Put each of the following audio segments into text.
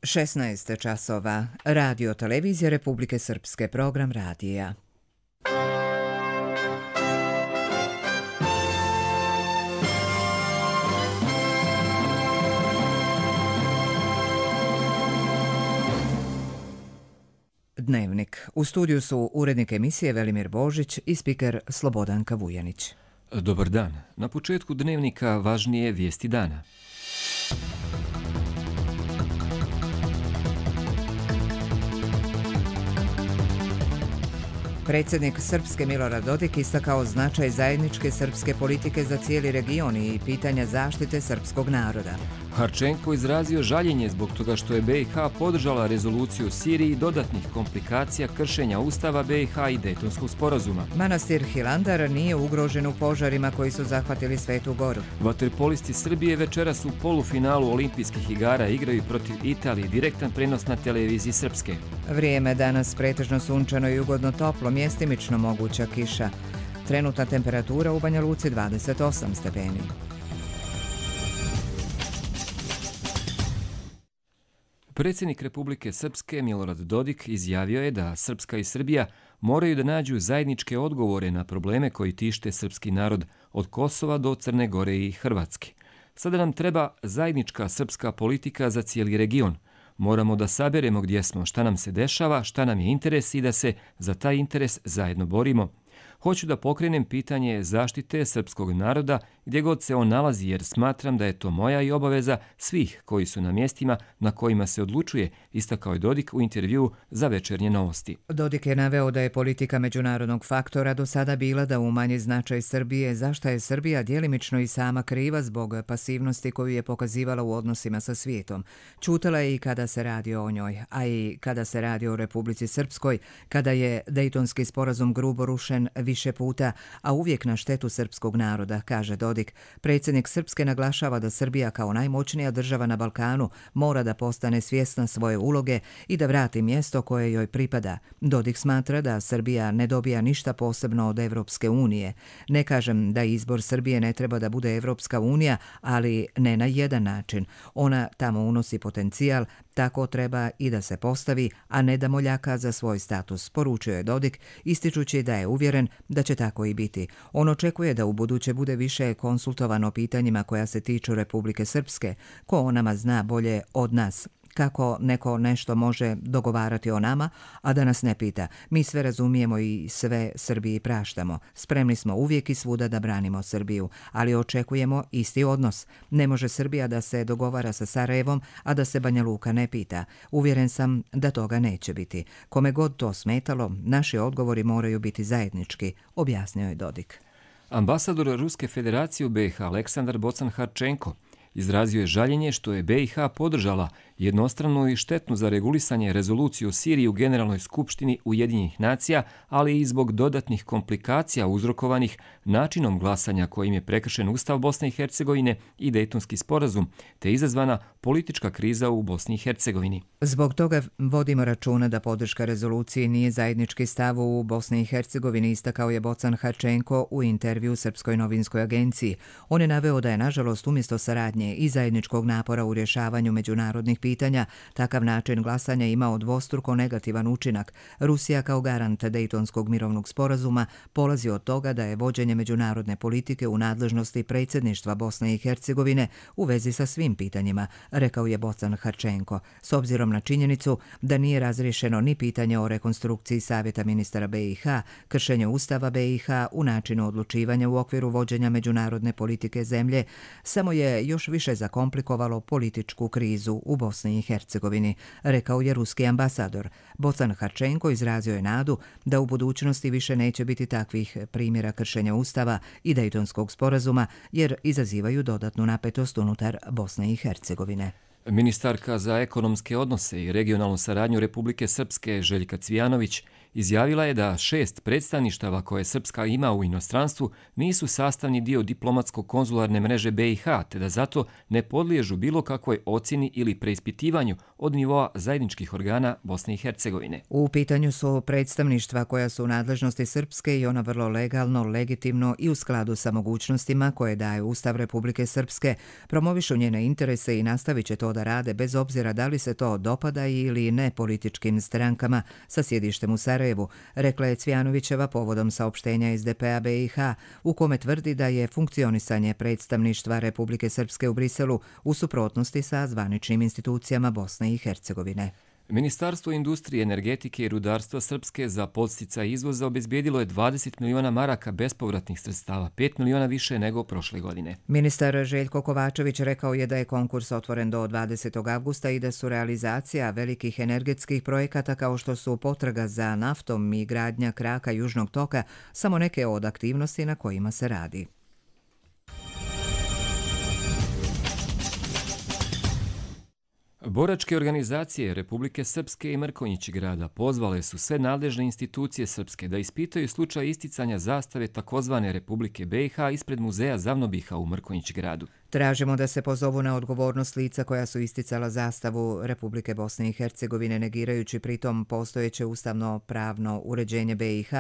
16 časova. Radio televizija Republike Srpske, program radija. Dnevnik. U studiju su urednik emisije Velimir Božić i spiker Slobodanka Vujanić. Dobar dan. Na početku dnevnika važnije vijesti dana. Predsjednik Srpske Milorad Dodik istakao značaj zajedničke srpske politike za cijeli region i pitanja zaštite srpskog naroda. Harčenko izrazio žaljenje zbog toga što je BiH podržala rezoluciju o Siriji i dodatnih komplikacija kršenja Ustava BiH i Dejtonskog sporazuma. Manastir Hilandar nije ugrožen u požarima koji su zahvatili Svetu Goru. Vaterpolisti Srbije večeras u polufinalu olimpijskih igara igraju protiv Italije, direktan prenos na televiziji Srpske. Vrijeme danas pretežno sunčano i ugodno toplo, mjestimično moguća kiša. Trenutna temperatura u Banja Luci 28 stepeni. Predsjednik Republike Srpske Milorad Dodik izjavio je da Srpska i Srbija moraju da nađu zajedničke odgovore na probleme koji tište srpski narod od Kosova do Crne Gore i Hrvatske. Sada nam treba zajednička srpska politika za cijeli region. Moramo da saberemo gdje smo, šta nam se dešava, šta nam je interes i da se za taj interes zajedno borimo. Hoću da pokrenem pitanje zaštite srpskog naroda gdje god se on nalazi, jer smatram da je to moja i obaveza svih koji su na mjestima na kojima se odlučuje, istakao je Dodik u intervjuu za Večernje novosti. Dodik je naveo da je politika međunarodnog faktora do sada bila da umanji značaj Srbije, zašto je Srbija djelimično i sama kriva zbog pasivnosti koju je pokazivala u odnosima sa svijetom. Ćutala je i kada se radi o njoj, a i kada se radi o Republici Srpskoj, kada je Dejtonski sporazum grubo rušen više puta, a uvijek na štetu srpskog naroda, kaže Dodik. Predsjednik Srpske naglašava da Srbija kao najmoćnija država na Balkanu mora da postane svjesna svoje uloge i da vrati mjesto koje joj pripada. Dodik smatra da Srbija ne dobija ništa posebno od Evropske unije. Ne kažem da izbor Srbije ne treba da bude Evropska unija, ali ne na jedan način. Ona tamo unosi potencijal, tako treba i da se postavi, a ne da moljaka za svoj status, poručio je Dodik, ističući da je uvjeren da će tako i biti. On očekuje da u buduće bude više konsultovano pitanjima koja se tiču Republike Srpske, ko o nama zna bolje od nas. Kako neko nešto može dogovarati o nama, a da nas ne pita. Mi sve razumijemo i sve Srbiji praštamo. Spremni smo uvijek i svuda da branimo Srbiju, ali očekujemo isti odnos. Ne može Srbija da se dogovara sa Sarajevom, a da se Banja Luka ne pita. Uvjeren sam da toga neće biti. Kome god to smetalo, naši odgovori moraju biti zajednički, objasnio je Dodik. Ambasador Ruske federacije u BiH Aleksandar Bocan Harčenko izrazio je žaljenje što je BiH podržala jednostranu i štetnu za regulisanje rezoluciju o Siriji u Generalnoj skupštini Ujedinjenih nacija, ali i zbog dodatnih komplikacija uzrokovanih načinom glasanja kojim je prekršen Ustav Bosne i Hercegovine i Dejtonski sporazum, te izazvana politička kriza u Bosni i Hercegovini. Zbog toga vodimo računa da podrška rezoluciji nije zajednički stav u Bosni i Hercegovini, istakao je Bocan Harčenko u intervju Srpskoj novinskoj agenciji. On je naveo da je nažalost umjesto saradnje i zajedničkog napora u rješavanju međunarodnih pitanja, takav način glasanja imao dvostruko negativan učinak. Rusija kao garant Dejtonskog mirovnog sporazuma polazi od toga da je vođenje međunarodne politike u nadležnosti predsjedništva Bosne i Hercegovine u vezi sa svim pitanjima, rekao je Bocan Harčenko, s obzirom na činjenicu da nije razriješeno ni pitanje o rekonstrukciji Savjeta ministara BiH, kršenje Ustava BiH u načinu odlučivanja u okviru vođenja međunarodne politike zemlje, samo je još više zakomplikovalo političku krizu u Bosni i Hercegovini, rekao je ruski ambasador. Bocan Harčenko izrazio je nadu da u budućnosti više neće biti takvih primjera kršenja Ustava i Dejtonskog sporazuma, jer izazivaju dodatnu napetost unutar Bosne i Hercegovine. Ministarka za ekonomske odnose i regionalnu saradnju Republike Srpske Željka Cvijanović Izjavila je da 6 predstavništava koje Srpska ima u inostranstvu nisu sastavni dio diplomatsko-konzularne mreže BiH, te da zato ne podliježu bilo kakvoj ocjeni ili preispitivanju od nivoa zajedničkih organa Bosne i Hercegovine. U pitanju su predstavništva koja su u nadležnosti Srpske i ona vrlo legalno, legitimno i u skladu sa mogućnostima koje daje Ustav Republike Srpske, promovišu njene interese i nastavit će to da rade bez obzira da li se to dopada ili ne političkim strankama sa sjedištem u Sarajevu, rekla je Cvjanovićeva povodom saopštenja SDP-a BiH, u kome tvrdi da je funkcionisanje predstavništva Republike Srpske u Briselu u suprotnosti sa zvaničnim institucijama Bosne i Hercegovine. Ministarstvo industrije, energetike i rudarstva Srpske za podsticaj izvoza obezbijedilo je 20 miliona maraka bespovratnih sredstava, 5 miliona više nego prošle godine. Ministar Željko Kovačević rekao je da je konkurs otvoren do 20. avgusta i da su realizacija velikih energetskih projekata kao što su potraga za naftom i gradnja kraka Južnog toka samo neke od aktivnosti na kojima se radi. Boračke organizacije Republike Srpske i Mrkonjić grada pozvale su sve nadležne institucije Srpske da ispitaju slučaj isticanja zastave takozvane Republike BiH ispred muzeja Zavnobiha u Mrkonjić gradu. Tražimo da se pozovu na odgovornost lica koja su isticala zastavu Republike Bosne i Hercegovine, negirajući pritom postojeće ustavno-pravno uređenje BiH,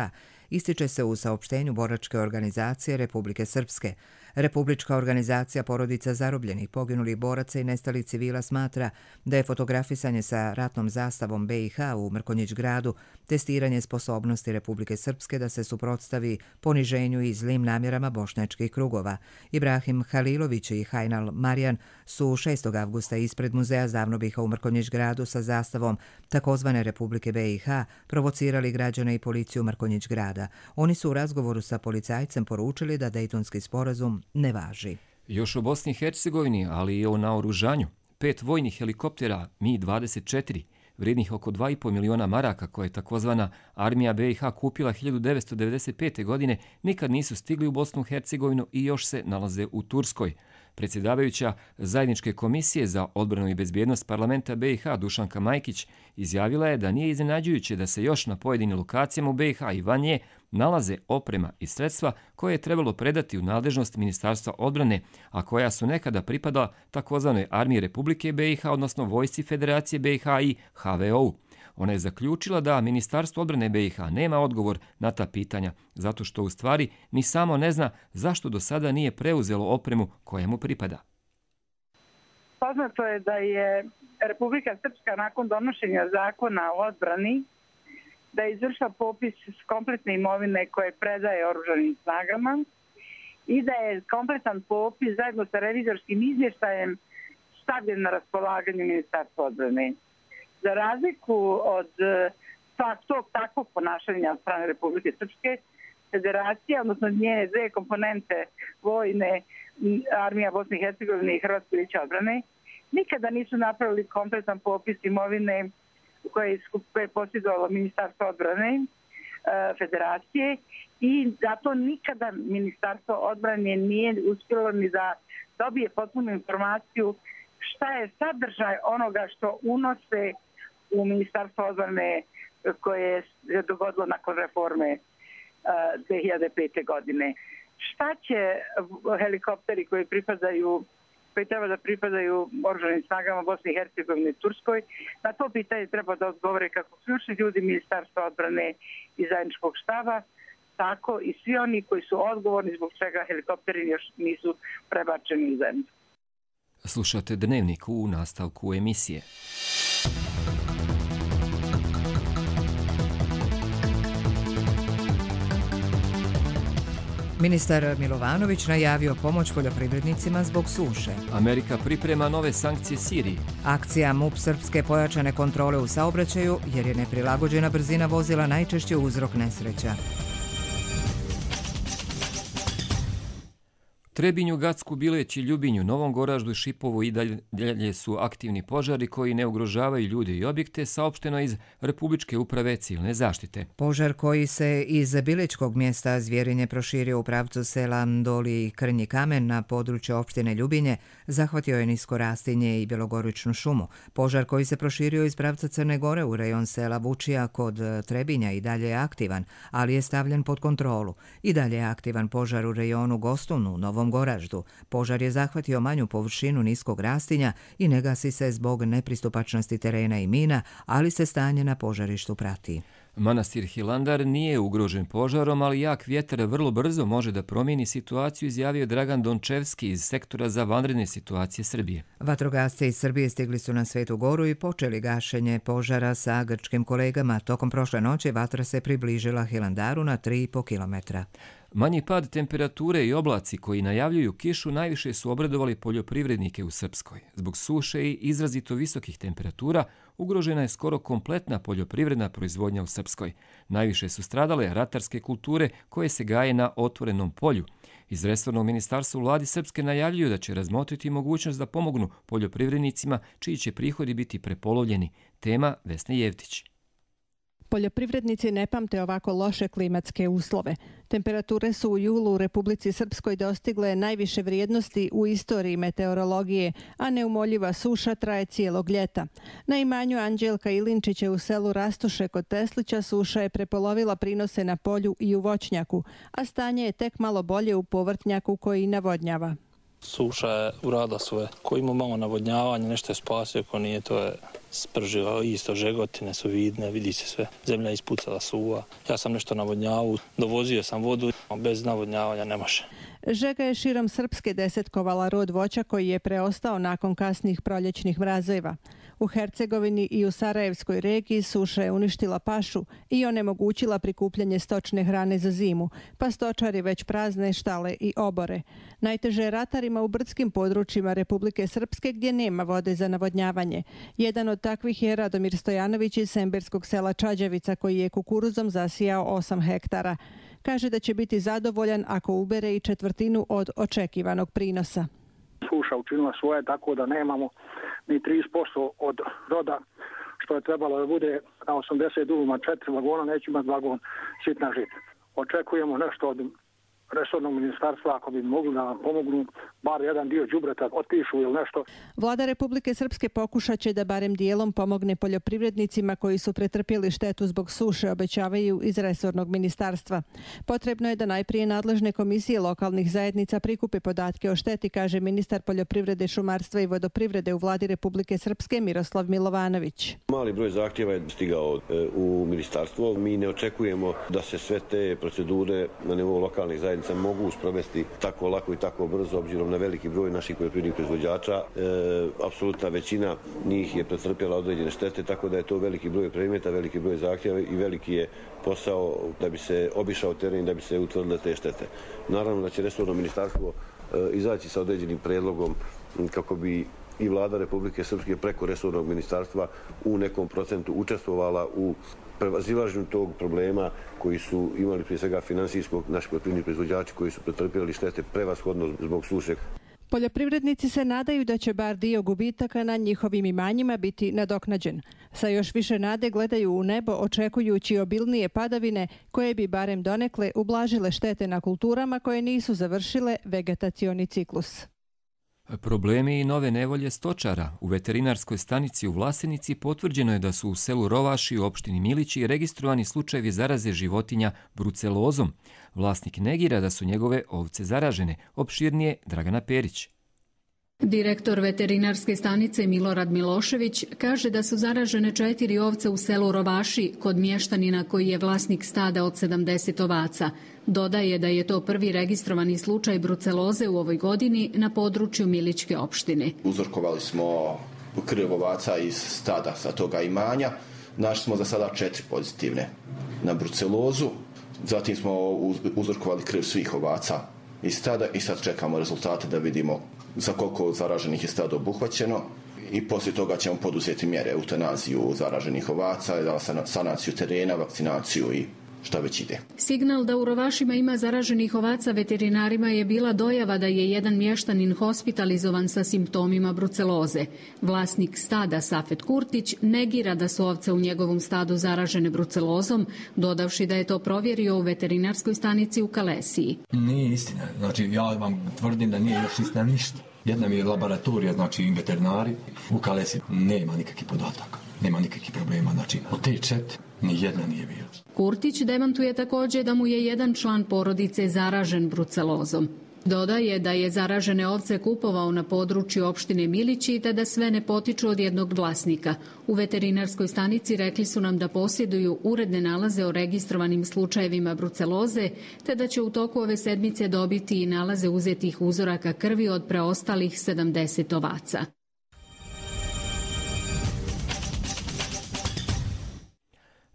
ističe se u saopštenju Boračke organizacije Republike Srpske. Republička organizacija porodica zarobljenih, poginulih boraca i nestalih civila smatra da je fotografisanje sa ratnom zastavom BiH u Mrkonjić gradu testiranje sposobnosti Republike Srpske da se suprotstavi poniženju i zlim namjerama bošnjačkih krugova. Ibrahim Halilović i Hajnal Marijan su 6. avgusta ispred muzeja Zavnobiha u Mrkonjić gradu sa zastavom takozvane Republike BiH provocirali građane i policiju Mrkonjić grada. Oni su u razgovoru sa policajcem poručili da Dejtonski sporazum ne važi. Još o Bosni i Hercegovini, ali i o naoružanju. 5 vojnih helikoptera Mi-24, vrijednih oko 2,5 miliona maraka koje je takozvana armija BiH kupila 1995. godine, nikad nisu stigli u Bosnu i Hercegovinu i još se nalaze u Turskoj. Predsjedavajuća Zajedničke komisije za odbranu i bezbjednost parlamenta BiH Dušanka Majkić izjavila je da nije iznenađujuće da se još na pojedinim lokacijama u BiH i van nje nalaze oprema i sredstva koje je trebalo predati u nadležnost Ministarstva odbrane, a koja su nekada pripadala takozvanoj armiji Republike BiH, odnosno Vojsci Federacije BiH i HVO-u. Ona je zaključila da Ministarstvo odbrane BiH nema odgovor na ta pitanja, zato što u stvari ni samo ne zna zašto do sada nije preuzelo opremu koja mu pripada. Poznato je da je Republika Srpska nakon donošenja zakona o odbrani da je izvršila popis kompletne imovine koje predaje oružanim snagama i da je kompletan popis zajedno sa revizorskim izvještajem stavljen na raspolaganje Ministarstva odbrane. Za razliku od tog takvog ponašanja od strane Republike Srpske, Federacija, odnosno njene dve komponente vojne, armija Bosne i Hercegovine i Hrvatsko vijeće odbrane, nikada nisu napravili kompletan popis imovine koje je posjedovalo Ministarstvo odbrane Federacije i zato nikada Ministarstvo odbrane nije uspjelo ni da dobije potpunu informaciju šta je sadržaj onoga što unose u Ministarstvo odbrane koje je dogodilo nakon reforme 2005. godine. Šta će helikopteri koji treba da pripadaju oružanim snagama Bosne i Hercegovine i Turskoj, na to pitanje treba da odgovore kako ključni ljudi Ministarstva odbrane i zajedničkog štaba, tako i svi oni koji su odgovorni zbog čega helikopteri još nisu prebačeni u zemlju. Slušate Dnevnik u nastavku emisije. Ministar Milovanović najavio pomoć poljoprivrednicima zbog suše. Amerika priprema nove sankcije Siriji. Akcija MUP Srpske pojačane kontrole u saobraćaju jer je neprilagođena brzina vozila najčešće uzrok nesreća. Trebinju, Gacku, Bileći, Ljubinju, Novom Goraždu i Šipovu i dalje su aktivni požari koji ne ugrožavaju ljude i objekte, saopšteno iz Republičke uprave civilne zaštite. Požar koji se iz Biličkog mjesta Zvjerinje proširio u pravcu sela Doli i Krnji Kamen na području opštine Ljubinje zahvatio je nisko rastinje i bjelogoričnu šumu. Požar koji se proširio iz pravca Crne Gore u rejon sela Vučija kod Trebinja i dalje je aktivan, ali je stavljen pod kontrolu. I dalje je aktivan požar u rejonu Gostun u Novom Goraždu. Požar je zahvatio manju površinu niskog rastinja i ne gasi se zbog nepristupačnosti terena i mina, ali se stanje na požarištu prati. Manastir Hilandar nije ugrožen požarom, ali jak vjetar vrlo brzo može da promijeni situaciju, izjavio Dragan Dončevski iz sektora za vanredne situacije Srbije. Vatrogasci iz Srbije stigli su na Svetu Goru i počeli gašenje požara sa grčkim kolegama. Tokom prošle noći vatra se približila Hilandaru na 3,5 kilometra. Manji pad temperature i oblaci koji najavljuju kišu najviše su obradovali poljoprivrednike u Srpskoj. Zbog suše i izrazito visokih temperatura ugrožena je skoro kompletna poljoprivredna proizvodnja u Srpskoj. Najviše su stradale ratarske kulture koje se gaje na otvorenom polju. Iz resornog ministarstva u vladi Srpske najavljuju da će razmotriti mogućnost da pomognu poljoprivrednicima čiji će prihodi biti prepolovljeni. Tema Vesne Jevtić. Poljoprivrednici ne pamte ovako loše klimatske uslove. Temperature su u julu u Republici Srpskoj dostigle najviše vrijednosti u istoriji meteorologije, a neumoljiva suša traje cijelog ljeta. Na imanju Anđelka Ilinčića u selu Rastuše kod Teslića suša je prepolovila prinose na polju i u voćnjaku, a stanje je tek malo bolje u povrtnjaku koji navodnjava. Suša je uradila svoje. Ko ima malo navodnjavanja, nešto je spasio, ko nije, to je spržio. Isto žegotine su vidne, vidi se sve. Zemlja je ispucala, suva. Ja sam nešto navodnjavao, dovozio sam vodu, bez navodnjavanja ne može. Žega je širom Srpske desetkovala rod voća koji je preostao nakon kasnih proljećnih mrazeva. U Hercegovini i u Sarajevskoj regiji suša je uništila pašu i onemogućila prikupljanje stočne hrane za zimu, pa stočari već prazne štale i obore. Najteže je ratarima u brdskim područjima Republike Srpske gdje nema vode za navodnjavanje. Jedan od takvih je Radomir Stojanović iz semberskog sela Čađavica koji je kukuruzom zasijao 8 hektara. Kaže da će biti zadovoljan ako ubere i četvrtinu od očekivanog prinosa. Suša učinila svoje, tako da nemamo ni 30% od roda što je trebalo da bude na 80 duvima 4 vagona, neće imati vagon sitna žita. Očekujemo nešto od resornog ministarstva ako bi mogli da nam pomognu, bar jedan dio đubreta otpišu ili nešto. Vlada Republike Srpske pokušat će da barem dijelom pomogne poljoprivrednicima koji su pretrpjeli štetu zbog suše, obećavaju iz resornog ministarstva. Potrebno je da najprije nadležne komisije lokalnih zajednica prikupe podatke o šteti, kaže ministar poljoprivrede, šumarstva i vodoprivrede u Vladi Republike Srpske Miroslav Milovanović. Mali broj zahtjeva je stigao u ministarstvo. Mi ne očekujemo da se sve te procedure na nivou lokalnih zajednica mogu sprovesti tako lako i tako brzo, obzirom na veliki broj naših poljoprivrednih proizvođača. Apsolutna većina njih je pretrpjela određene štete, tako da je to veliki broj predmeta, veliki broj zahtjeva i veliki je posao da bi se obišao teren, da bi se utvrdile te štete. Naravno da će resorno ministarstvo izaći sa određenim predlogom kako bi i vlada Republike Srpske preko resornog ministarstva u nekom procentu učestvovala u prevazilaženju tog problema koji su imali prije svega finansijskog naši poljoprivredni proizvođači koji su pretrpjeli štete prevashodno zbog suše. Poljoprivrednici se nadaju da će bar dio gubitaka na njihovim imanjima biti nadoknađen. Sa još više nade gledaju u nebo očekujući obilnije padavine koje bi barem donekle ublažile štete na kulturama koje nisu završile vegetacioni ciklus. Problemi i nove nevolje stočara. U veterinarskoj stanici u Vlasenici potvrđeno je da su u selu Rovaši u opštini Milići registrovani slučajevi zaraze životinja brucelozom. Vlasnik negira da su njegove ovce zaražene. Opširnije Dragana Perić. Direktor veterinarske stanice Milorad Milošević kaže da su zaražene 4 ovce u selu Rovaši kod mještanina koji je vlasnik stada od 70 ovaca. Dodaje da je to prvi registrovani slučaj bruceloze u ovoj godini na području Milićke opštine. Uzorkovali smo krv ovaca iz stada sa toga imanja. Našli smo za sada 4 pozitivne na brucelozu. Zatim smo uzorkovali krv svih ovaca iz stada i sad čekamo rezultate da vidimo za koliko zaraženih je stado obuhvaćeno i poslije toga ćemo poduzeti mjere, eutanaziju zaraženih ovaca, sanaciju terena, vakcinaciju i šta već ide. Signal da u Rovašima ima zaraženih ovaca veterinarima je bila dojava da je jedan mještanin hospitalizovan sa simptomima bruceloze. Vlasnik stada Safet Kurtić negira da su ovce u njegovom stadu zaražene brucelozom, dodavši da je to provjerio u veterinarskoj stanici u Kalesiji. Nije istina. Znači, ja vam tvrdim da nije još istina ništa. Jedna mi je laboratorija, znači i veterinari. U Kalesiji nema nikakvih podataka, nema nikakvih problema. Znači, od te 4 nijedna nije bila. Kurtić demantuje također da mu je jedan član porodice zaražen brucelozom. Dodaje da je zaražene ovce kupovao na području opštine Milići te da sve ne potiču od jednog vlasnika. U veterinarskoj stanici rekli su nam da posjeduju uredne nalaze o registrovanim slučajevima bruceloze, te da će u toku ove sedmice dobiti i nalaze uzetih uzoraka krvi od preostalih 70 ovaca.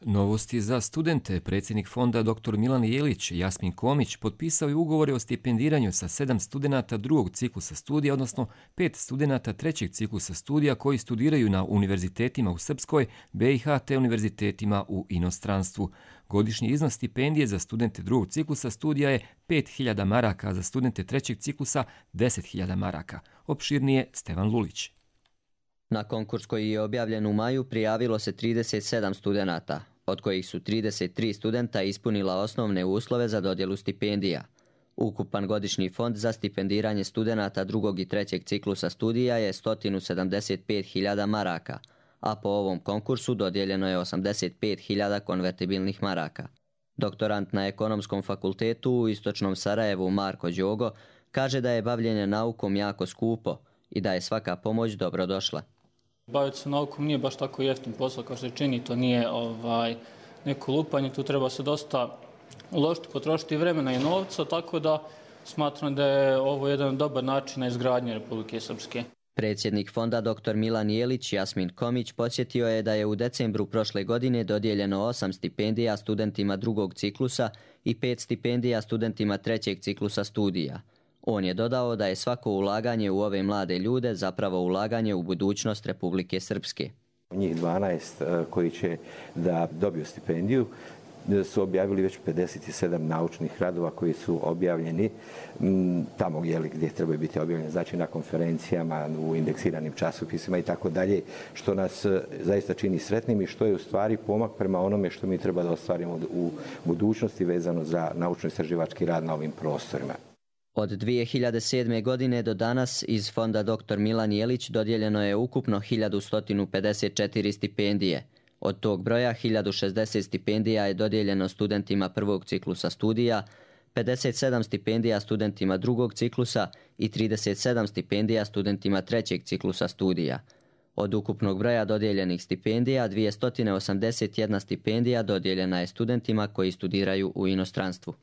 Novosti za studente. Predsjednik fonda dr. Milan Jelić Jasmin Komić potpisao je ugovore o stipendiranju sa 7 studenata drugog ciklusa studija, odnosno 5 studenata trećeg ciklusa studija koji studiraju na univerzitetima u Srpskoj, BiH te univerzitetima u inostranstvu. Godišnji iznos stipendije za studente drugog ciklusa studija je 5.000 maraka, a za studente trećeg ciklusa 10.000 maraka. Opširnije Stevan Lulić. Na konkurs koji je objavljen u maju prijavilo se 37 studenata, od kojih su 33 studenta ispunila osnovne uslove za dodjelu stipendija. Ukupan godišnji fond za stipendiranje studenata drugog i trećeg ciklusa studija je 175.000 maraka, a po ovom konkursu dodijeljeno je 85.000 konvertibilnih maraka. Doktorant na Ekonomskom fakultetu u Istočnom Sarajevu Marko Đogo kaže da je bavljenje naukom jako skupo i da je svaka pomoć dobrodošla. Baviti se naukom nije baš tako jeftin posao kao što se čini, to nije neko lupanje, tu treba se dosta uložiti, potrošiti vremena i novca, tako da smatram da je ovo jedan dobar način na izgradnje Republike Srpske. Predsjednik fonda dr. Milan Jelić Jasmin Komić podsjetio je da je u decembru prošle godine dodijeljeno 8 stipendija studentima drugog ciklusa i 5 stipendija studentima trećeg ciklusa studija. On je dodao da je svako ulaganje u ove mlade ljude zapravo ulaganje u budućnost Republike Srpske. Njih 12 koji će da dobiju stipendiju su objavili već 57 naučnih radova koji su objavljeni tamo gdje trebaju biti objavljeni, znači na konferencijama, u indeksiranim časopisima i tako dalje, što nas zaista čini sretnim i što je u stvari pomak prema onome što mi treba da ostvarimo u budućnosti vezano za naučno-istraživački rad na ovim prostorima. Od 2007. godine do danas iz fonda dr. Milan Jelić dodijeljeno je ukupno 1154 stipendije. Od tog broja 1060 stipendija je dodijeljeno studentima prvog ciklusa studija, 57 stipendija studentima drugog ciklusa i 37 stipendija studentima trećeg ciklusa studija. Od ukupnog broja dodijeljenih stipendija, 281 stipendija dodijeljena je studentima koji studiraju u inostranstvu.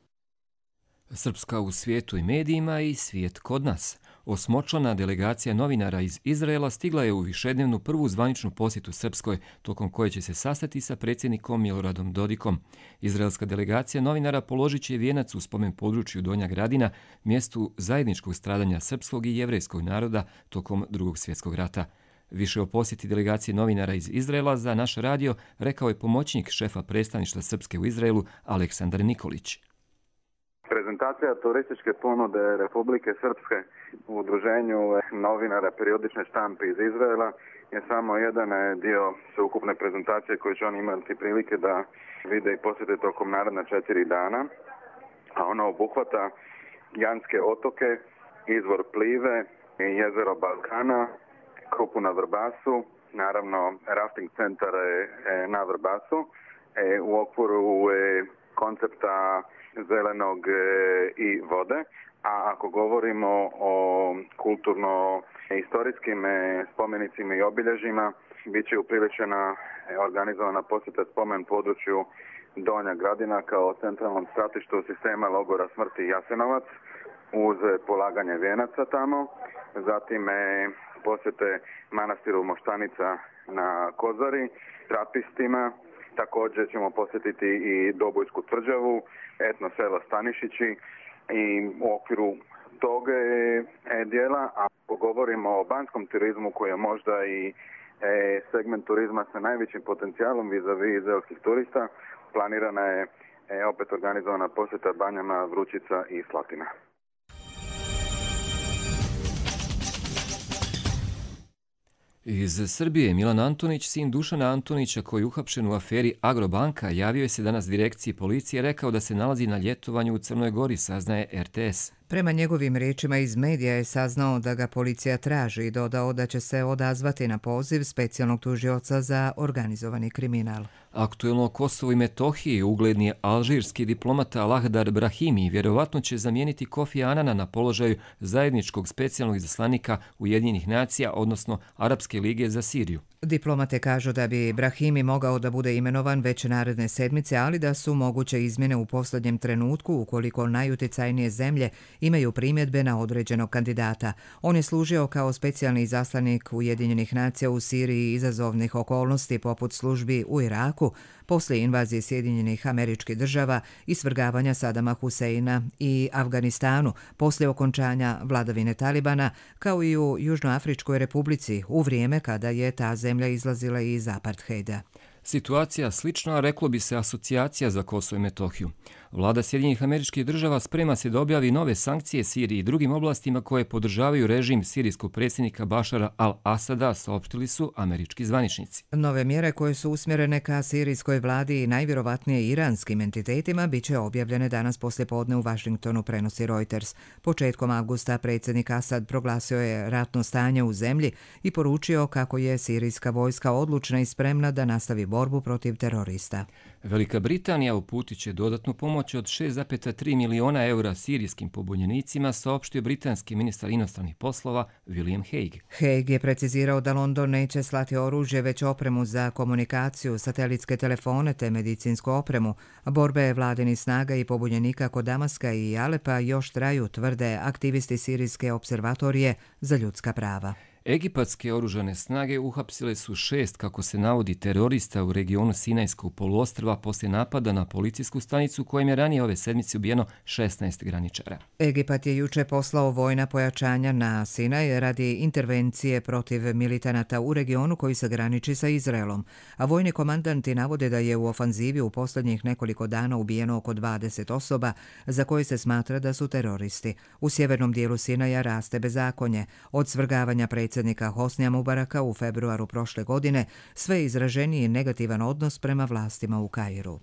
Srpska u svijetu i medijima i svijet kod nas. Osmočlana delegacija novinara iz Izraela stigla je u višednevnu prvu zvaničnu posjetu Srpskoj, tokom koje će se sastati sa predsjednikom Miloradom Dodikom. Izraelska delegacija novinara položit će vijenac u spomen području Donja Gradina, mjestu zajedničkog stradanja srpskog i jevrejskog naroda tokom Drugog svjetskog rata. Više o posjeti delegacije novinara iz Izraela za naš radio rekao je pomoćnik šefa predstavništva Srpske u Izraelu Aleksandar Nikolić. Prezentacija turističke ponude Republike Srpske u udruženju novinara periodične štampe iz Izraela je samo jedan dio sveukupne prezentacije koju će oni imati prilike da vide i posjete tokom naredna 4 dana, a ona obuhvata Janske otoke, izvor Plive, jezero Balkana, Krupu na Vrbasu, naravno rafting centar na Vrbasu, u okviru koncepta zelenog i vode, a ako govorimo o kulturno-istorijskim spomenicima i obilježjima, bit će upriličena organizovana posjeta spomen području Donja Gradina kao centralnom stratištu sistema logora smrti Jasenovac uz polaganje vijenaca tamo, zatim posjete manastiru Moštanica na Kozari, trapistima. Također ćemo posjetiti i Dobojsku tvrđavu, etno selo Stanišići i u okviru tog dijela, a ako govorimo o banskom turizmu koji je možda i segment turizma sa najvećim potencijalom vis-a-vis izraelskih turista, planirana je opet organizovana posjeta banjama Vrućica i Slatina. Iz Srbije Milan Antonić, sin Dušana Antonića koji je uhapšen u aferi Agrobanka, javio je se danas direkciji policije, rekao da se nalazi na ljetovanju u Crnoj Gori, saznaje RTS. Prema njegovim riječima iz medija je saznao da ga policija traži i dodao da će se odazvati na poziv specijalnog tužioca za organizovani kriminal. Aktuelno o Kosovu i Metohiji ugledni alžirski diplomata Lahdar Brahimi vjerovatno će zamijeniti Kofi Anana na položaju zajedničkog specijalnog izaslanika Ujedinjenih nacija, odnosno Arapske lige za Siriju. Diplomate kažu da bi Brahimi mogao da bude imenovan već naredne sedmice, ali da su moguće izmjene u posljednjem trenutku ukoliko najuticajnije zemlje imaju primjedbe na određenog kandidata. On je služio kao specijalni izaslanik Ujedinjenih nacija u Siriji izazovnih okolnosti poput službi u Iraku, poslije invazije Sjedinjenih Američkih Država i svrgavanja Sadama Huseina i Afganistanu, poslije okončanja vladavine Talibana, kao i u Južnoafričkoj republici u vrijeme kada je ta zemlja izlazila iz apartheida. Situacija slična, reklo bi se, asocijacija za Kosovo i Metohiju. Vlada Sjedinjenih Američkih Država sprema se da objavi nove sankcije Siriji i drugim oblastima koje podržavaju režim sirijskog predsjednika Bašara al-Asada, saopštili su američki zvaničnici. Nove mjere koje su usmjerene ka sirijskoj vladi i najvjerovatnije iranskim entitetima bit će objavljene danas poslijepodne u Vašingtonu, prenosi Reuters. Početkom avgusta predsjednik Asad proglasio je ratno stanje u zemlji i poručio kako je sirijska vojska odlučna i spremna da nastavi borbu protiv terorista. Velika Britanija uputit će dodatnu pomoć od 6,3 miliona eura sirijskim pobunjenicima, saopštio britanski ministar inostranih poslova William Hague. Hague je precizirao da London neće slati oružje, već opremu za komunikaciju, satelitske telefone te medicinsku opremu. Borbe vladinih snaga i pobunjenika kod Damaska i Alepa još traju, tvrde aktivisti Sirijske observatorije za ljudska prava. Egipatske oružane snage uhapsile su 6, kako se navodi, terorista u regionu Sinajskog poluostrva poslije napada na policijsku stanicu kojem je ranije ove sedmice ubijeno 16 graničara. Egipat je juče poslao vojna pojačanja na Sinaj radi intervencije protiv militanata u regionu koji se graniči sa Izraelom, a vojni komandanti navode da je u ofanzivi u posljednjih nekoliko dana ubijeno oko 20 osoba za koje se smatra da su teroristi. U sjevernom dijelu Sinaja raste bezakonje. Od svrgavanja predsjednika Hosnija Mubaraka u februaru prošle godine sve izraženiji negativan odnos prema vlastima u Kairu.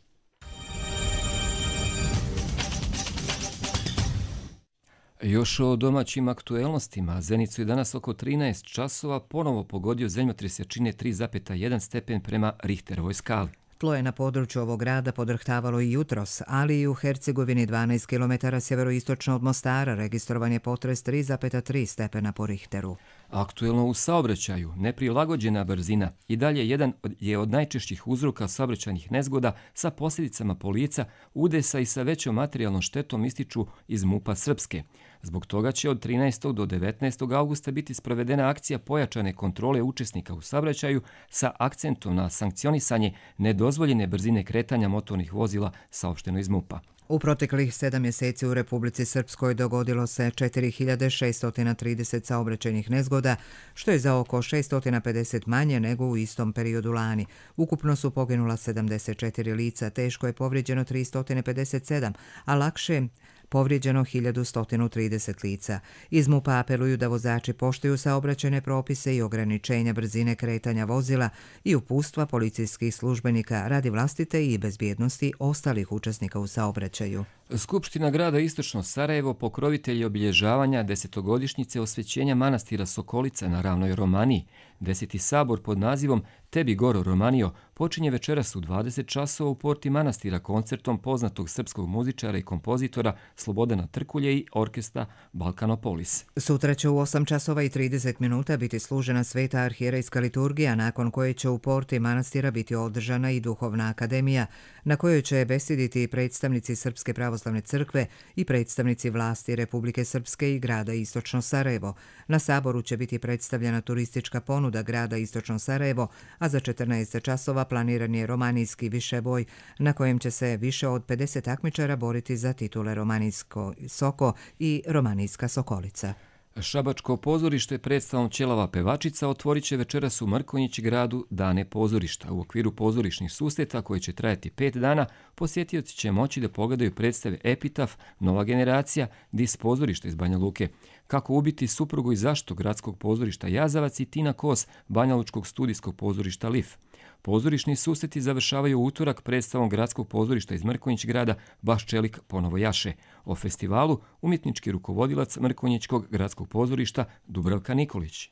Još o domaćim aktuelnostima. Zenicu je danas oko 13 časova ponovo pogodio zemljotres jačine 3,1 stepen prema Richterovoj skali. Tlo je na području ovog grada podrhtavalo i jutros, ali i u Hercegovini 12 km sjeveroistočno od Mostara registrovan je potres 3,3 stepena po Richteru. Aktuelno u saobraćaju, neprilagođena brzina i dalje jedan je od najčešćih uzroka saobraćajnih nezgoda sa posljedicama po lica, udesa i sa većom materijalnom štetom, ističu iz MUP-a Srpske. Zbog toga će od 13. do 19. augusta biti sprovedena akcija pojačane kontrole učesnika u saobraćaju sa akcentom na sankcionisanje nedozvoljene brzine kretanja motornih vozila, saopšteno iz MUP-a. U proteklih 7 mjeseci u Republici Srpskoj dogodilo se 4630 saobraćajnih nezgoda, što je za oko 650 manje nego u istom periodu lani. Ukupno su poginula 74 lica, teško je povrijeđeno 357, a lakše povrijeđeno 1130 lica. Iz MUP-a apeluju da vozači poštuju saobraćajne propise i ograničenja brzine kretanja vozila i uputstva policijskih službenika radi vlastite i bezbjednosti ostalih učesnika u saobraćaju. Skupština grada Istočno Sarajevo, pokrovitelj obilježavanja 10-godišnjice osvećenja manastira Sokolica na ravnoj Romaniji. 10. sabor pod nazivom Tebi Goro Romanio počinje večeras u 20 časova u porti manastira koncertom poznatog srpskog muzičara i kompozitora Slobodana Trkulje i orkestra Balkanopolis. Sutra će u 8 časova i 30 minuta biti služena sveta arhijerejska liturgija, nakon koje će u porti manastira biti održana i duhovna akademija, na kojoj će besediti predstavnici Srpske pravoslavne crkve i predstavnici vlasti Republike Srpske i grada Istočno Sarajevo. Na saboru će biti predstavljena turistička ponuda grada Istočno Sarajevo, a za 14 časova planiran je romanijski višeboj na kojem će se više od 50 takmičara boriti za titule Romanijsko Soko i Romanijska Sokolica. Šabačko pozorište predstavom Ćelava pevačica otvorit će večeras u Mrkonjić gradu Dane pozorišta. U okviru pozorišnih susreta koji će trajati 5 dana, posjetioci će moći da pogledaju predstave Epitaf, Nova generacija, Dis pozorišta iz Banja Luke, Kako ubiti suprugu i zašto gradskog pozorišta Jazavac i Tina Kos, banjalučkog studijskog pozorišta LIF. Pozorišni susreti završavaju u utorak predstavom gradskog pozorišta iz Mrkonjić grada Baš čelik ponovo jaše. O festivalu umjetnički rukovodilac Mrkonjićkog gradskog pozorišta Dubravka Nikolić.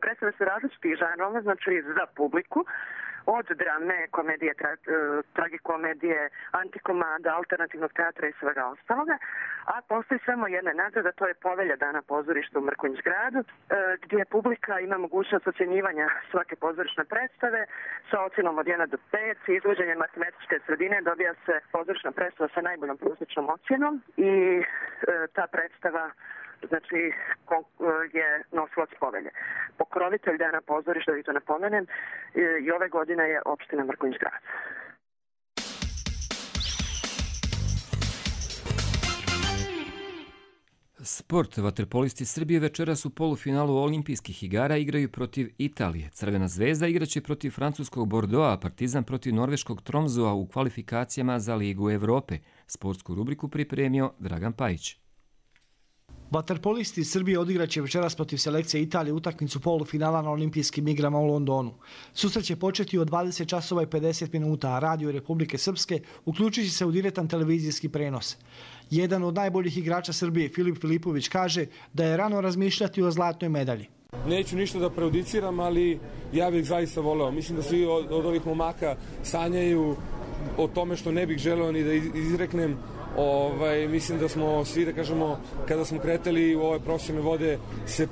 Predstave su različitih žanrova, znači za publiku, od drame, komedije, tragikomedije, antikomada, alternativnog teatra i svega ostaloga, a postoji samo jedna nagrada, to je Povelja Dana pozorišta u Mrkonjić gradu, gdje publika ima mogućnost ocjenjivanja svake pozorišne predstave sa ocjenom od 1 do 5, izvođenjem matematičke sredine dobija se pozorišna predstava sa najboljom prosječnom ocjenom i ta predstava znači je nosilac povelje. Pokrovitelj Dana pozorišta, da vi to napomenem, i ove godine je opština Mrkonjić grad. Sport. Vaterpolisti Srbije večeras u polufinalu olimpijskih igara igraju protiv Italije. Crvena zvezda igraće protiv francuskog Bordeauxa, a Partizan protiv norveškog Tromsøa u kvalifikacijama za Ligu Evrope. Sportsku rubriku pripremio Dragan Pajić. Vaterpolisti Srbije odigraće večeras protiv selekcije Italije utakmicu polufinala na olimpijskim igrama u Londonu. Susret će početi od 20 časova i 50 minuta, a Radio Republike Srpske uključit će se u direktan televizijski prenos. Jedan od najboljih igrača Srbije, Filip Filipović, kaže da je rano razmišljati o zlatnoj medalji. Neću ništa da prejudiciram, ali ja bih zaista voleo. Mislim da svi od ovih momaka sanjaju o tome što ne bih želeo ni da izreknem. Mislim da smo svi, da kažemo, kada smo kretali u ove profesionalne vode, se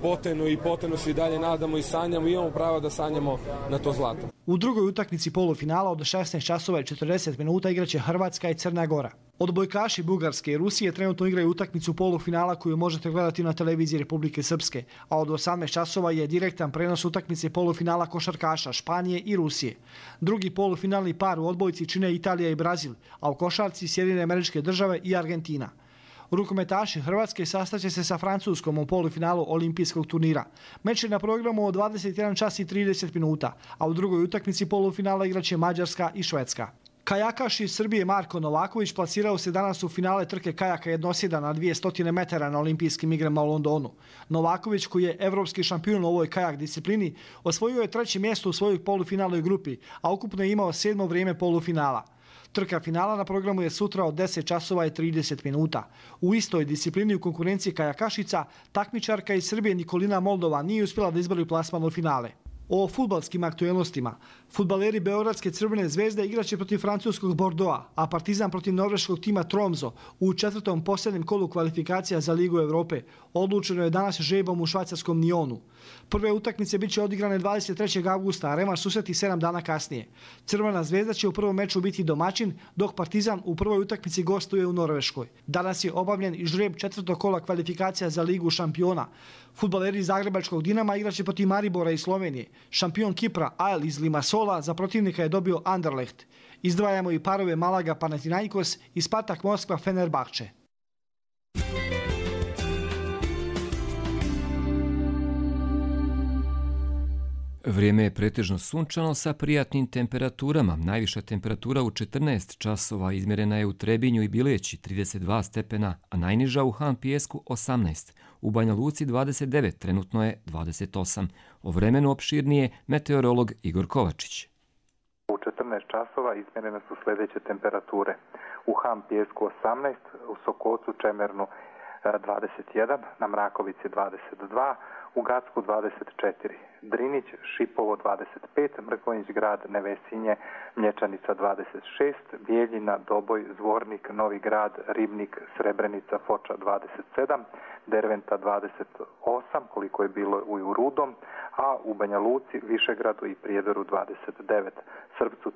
poteno se i dalje nadamo i sanjamo i imamo pravo da sanjamo na to zlato. U drugoj utakmici polufinala od 16 časova i 40 minuta igraće Hrvatska i Crna Gora. Odbojkaši Bugarske i Rusije trenutno igraju utakmicu polufinala koju možete gledati na televiziji Republike Srpske, a od 18 časova je direktan prenos utakmice polufinala košarkaša Španije i Rusije. Drugi polufinalni par u odbojci čine Italija i Brazil, a u košarci Sjedinjene Američke Države i Argentina. Rukometaši Hrvatske sastaće se sa Francuskom u polufinalu olimpijskog turnira. Meč je na programu od 21 čas i 30 minuta, a u drugoj utakmici polufinala igraće Mađarska i Švedska. Kajakaš iz Srbije Marko Novaković plasirao se danas u finale trke kajaka jednosjeda na 200 metara na olimpijskim igrama u Londonu. Novaković, koji je evropski šampion u ovoj kajak disciplini, osvojio je 3. mjesto u svojoj polufinalnoj grupi, a ukupno je imao 7. vrijeme polufinala. Trka finala na programu je sutra od 10 časova i 30 minuta. U istoj disciplini u konkurenciji kajakašica, takmičarka iz Srbije Nikolina Moldova nije uspjela da izbori plasman u finale. O fudbalskim aktuelnostima. Fudbaleri Beogradske Crvene zvezde igraće protiv francuskog Bordeauxa, a Partizan protiv norveškog tima Tromsø u 4. posljednjem kolu kvalifikacija za Ligu Evrope. Odlučeno je danas žrebom u švajcarskom Nyonu. Prve utakmice bit će odigrane 23. augusta, a revanš susreti 7 dana kasnije. Crvena zvezda će u prvom meču biti domaćin, dok Partizan u prvoj utakmici gostuje u Norveškoj. Danas je obavljen i žreb 4. kola kvalifikacija za Ligu šampiona. Fudbaleri Zagrebačkog Dinama igraće protiv Maribora i Slovenije. Šampion Kipra AEL iz Limassola za protivnika je dobio Anderlecht. Izdvajamo i parove Malaga Panathinaikos i Spartak Moskva Fenerbahče. Vrijeme je pretežno sunčano sa prijatnim temperaturama. Najviša temperatura u 14 časova izmjerena je u Trebinju i Bileći 32 stepena, a najniža u Han Pijesku 18. U Banja Luci 29, trenutno je 28. O vremenu opširnije meteorolog Igor Kovačić. U 14 časova izmjerene su sljedeće temperature. U Han Pijesku 18, u Sokocu Čemernu 21, na Mrakovici 22, u Gacku 24, Drinić, Šipovo 25, Mrkonjić grad, Nevesinje, Mlječanica 26, Bijeljina, Doboj, Zvornik, Novi grad, Ribnik, Srebrenica, Foča 27, Derventa 28, koliko je bilo u Rudom, a u Banja Luci, Višegradu i Prijedoru 29, Srpcu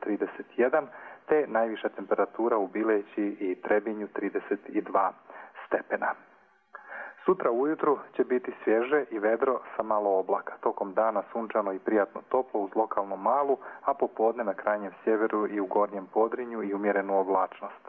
31, te najviša temperatura u Bileći i Trebinju 32 stepena. Sutra ujutru će biti svježe i vedro sa malo oblaka. Tokom dana sunčano i prijatno toplo uz lokalnu malu, a popodne na krajnjem sjeveru i u gornjem Podrinju i umjerenu oblačnost.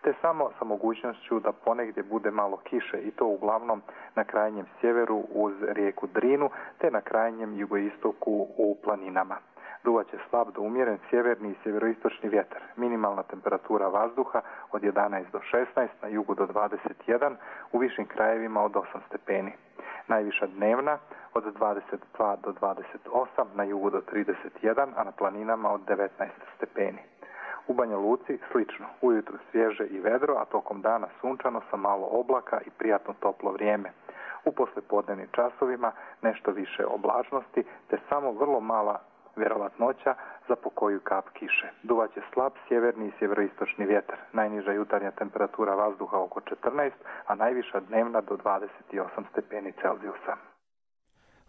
te samo sa mogućnošću da ponegdje bude malo kiše i to uglavnom na krajnjem sjeveru uz rijeku Drinu te na krajnjem jugoistoku u planinama. Duvaće slab do umjeren sjeverni i sjeveroistočni vjetar. Minimalna temperatura vazduha od 11 do 16, na jugu do 21, u višim krajevima od 8 stepeni. Najviša dnevna od 22 do 28, na jugu do 31, a na planinama od 19 stepeni. U Banja Luci slično, ujutru svježe i vedro, a tokom dana sunčano sa malo oblaka i prijatno toplo vrijeme. U poslijepodnevnim časovima nešto više oblačnosti, te samo vrlo mala vjerovatnoća za pokoju kap kiše. Duvaće slab sjeverni i sjeveroistočni vjetar. Najniža jutarnja temperatura vazduha oko 14, a najviša dnevna do 28 stepeni Celzijusa.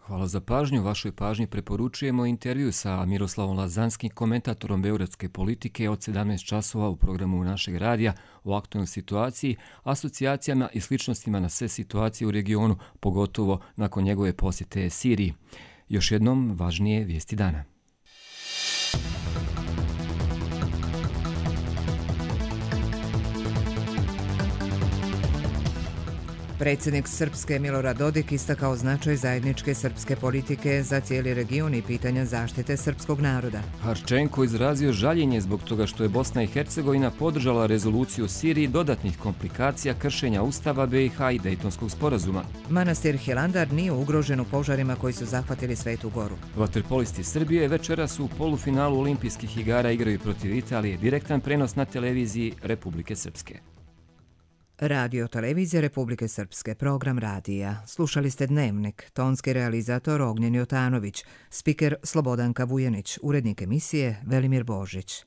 Hvala za pažnju. Vašoj pažnji preporučujemo intervju sa Miroslavom Lazanskim, komentatorom beogradske politike od 17 časova u programu našeg radija o aktualnoj situaciji, asocijacijama i sličnostima na sve situacije u regionu, pogotovo nakon njegove posjete Siriji. Još jednom važnije vijesti dana. Predsjednik Srpske Milorad Dodik istakao značaj zajedničke srpske politike za cijeli region i pitanja zaštite srpskog naroda. Harčenko izrazio žaljenje zbog toga što je Bosna i Hercegovina podržala rezoluciju o Siriji dodatnih komplikacija kršenja Ustava BiH i Dejtonskog sporazuma. Manastir Hilandar nije ugrožen u požarima koji su zahvatili Svetu Goru. Vaterpolisti Srbije večeras u polufinalu olimpijskih igara igraju protiv Italije. Direktan prenos na televiziji Republike Srpske. Radio televizija Republike Srpske, program radija. Slušali ste Dnevnik, tonski realizator Ognjen Jotanović, spiker Slobodanka Vujanić, urednik emisije Velimir Božić.